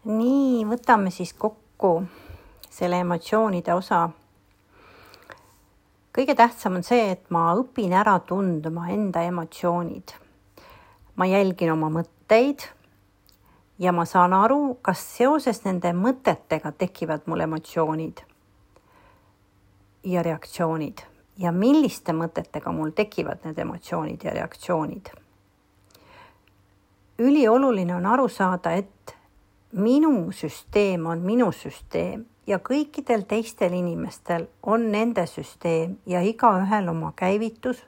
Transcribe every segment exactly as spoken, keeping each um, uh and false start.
Nii, võtame siis kokku selle emotsioonide osa. Kõige tähtsam on see, et ma õpin ära tundma enda emotsioonid. Ma jälgin oma mõtteid ja ma saan aru, kas seoses nende mõtetega tekivad mul emotsioonid ja reaktsioonid. Ja milliste mõtetega mul tekivad need emotsioonid ja reaktsioonid. Ülioluline on aru saada, et minu süsteem on minu süsteem ja kõikidel teistel inimestel on nende süsteem ja igaühel oma käivitus,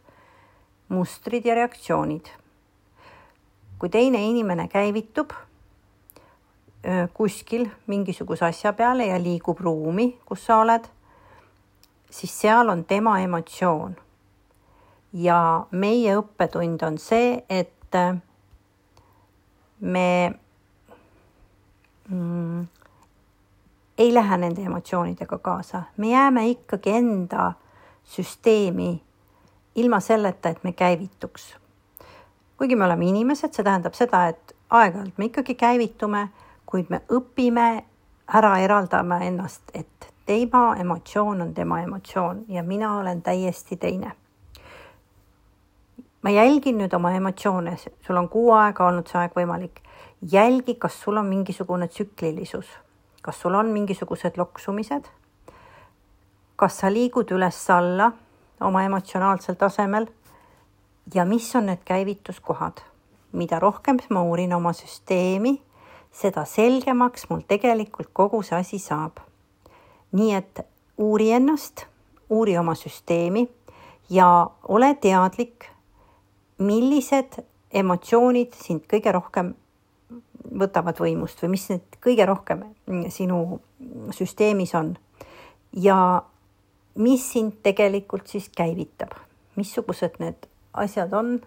mustrid ja reaktsioonid. Kui teine inimene käivitub kuskil mingisuguse asja peale ja liigub ruumi, kus sa oled, siis seal on tema emotsioon. Ja meie õppetund on see, et me Mm, ei lähe nende emotsioonidega kaasa. Me jääme ikkagi enda süsteemi ilma selleta, et me käivituks. Kuigi me oleme inimesed, see tähendab seda, et aeg-ajalt me ikkagi käivitume, kuid me õpime ära eraldama ennast, et tema emotsioon on tema emotsioon ja mina olen täiesti teine. Ma jälgin nüüd oma emotsioone, sul on kuu aega olnud see aeg võimalik. Jälgi, kas sul on mingisugune tsüklilisus, kas sul on mingisugused loksumised, kas sa liigud üles-alla oma emotsionaalsel tasemel ja mis on need käivituskohad. Mida rohkem ma uurin oma süsteemi, seda selgemaks mul tegelikult kogu see asi saab. Nii et uuri ennast, uuri oma süsteemi ja ole teadlik, millised emotsioonid sind kõige rohkem võtavad võimust või mis need kõige rohkem sinu süsteemis on ja mis sind tegelikult siis käivitab. Missugused need asjad on,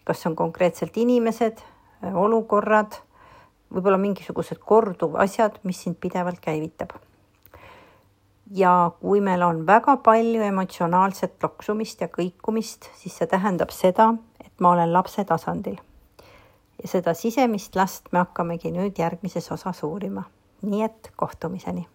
kas on konkreetselt inimesed, olukorrad, võib-olla mingisugused korduv asjad, mis sind pidevalt käivitab. Ja kui meil on väga palju emotsionaalset loksumist ja kõikumist, siis see tähendab seda, et ma olen lapse tasandil. Ja seda sisemist last me hakkamegi nüüd järgmises osas uurima. Nii et kohtumiseni.